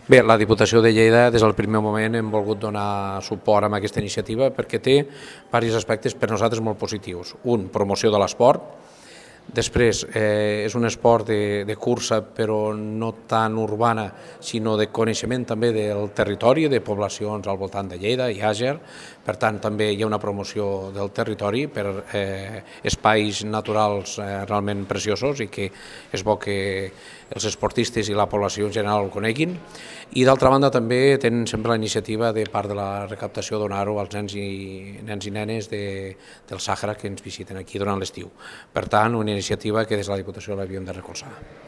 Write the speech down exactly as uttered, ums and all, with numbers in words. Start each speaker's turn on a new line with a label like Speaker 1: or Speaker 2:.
Speaker 1: Bé, la Diputació de Lleida des del primer moment hem volgut donar suport a aquesta iniciativa perquè té diversos aspectes per nosaltres molt positius. Un, promoció de l'esport. Després, eh, és un esport de, de cursa però no tan urbana, sinó de coneixement també del territori, de poblacions al voltant de Lleida i Àger. Per tant, també hi ha una promoció del territori per eh, espais naturals eh, realment preciosos i que és bo que els esportistes i la població en general el coneguin. I d'altra banda també tenen sempre la iniciativa de part de la recaptació donar-ho als nens i, nens i nenes de, del Sàhara que ens visiten aquí durant l'estiu. Per tant, una iniciativa que des de la Diputació l'havíem de recolzar.